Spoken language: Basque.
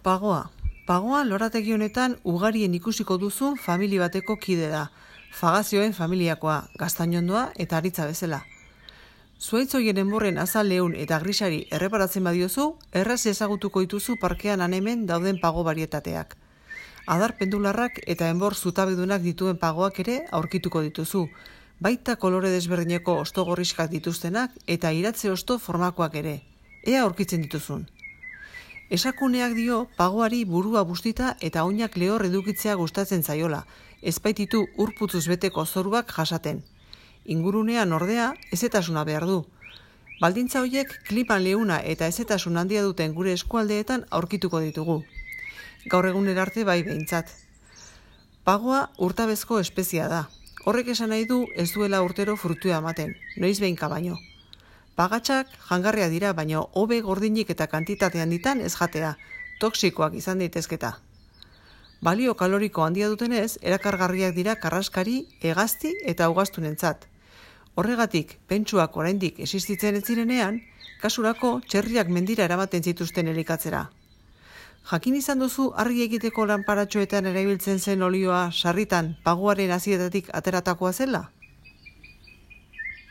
Pagoa. Pagoa lorategi honetan ugarien ikusiko duzun familia bateko kide da. Fagazioen familiakoa, gaztainondoa eta aritza bezala. Zuaitz horien enborren azal leun eta grisari erreparatzen badiozu, erraz ezagutuko dituzu parkean hemen dauden pago barietateak. Adar pendularrak eta enbor zutabedunak dituen pagoak ere aurkituko dituzu, baita kolore desberdineko osto gorriskak dituztenak eta iratze osto formakoak ere. Ea aurkitzen dituzun. Esakuneak dio pagoari burua bustita eta oinak lehor edukitzea gustatzen zaiola, ezbaititu urputzuz beteko zoruak jasaten. Ingurunean ordea ezetasuna behar du. Baldintza horiek klipan leuna eta ezetasun handia duten gure eskualdeetan aurkituko ditugu. Gaur egunera arte bai behintzat. Pagoa urtabezko espezia da. Horrek esan nahi du ez duela urtero frutua ematen, noiz behinka baino. Pagatxak jangarria dira, baina hobe gordinik eta kantitate handitan ez jatea, toksikoak izan daitezketa. Balio kaloriko handia dutenez, erakargarriak dira karraskari, hegazti eta ugaztunentzat. Horregatik, pentsuak oraindik existitzen ez zirenean, kasurako txerriak mendira eramaten zituzten elikatzera. Jakin izan duzu argi egiteko lanparatxoetan erabiltzen zen olioa sarritan pagoaren hasietatik ateratakoa zela?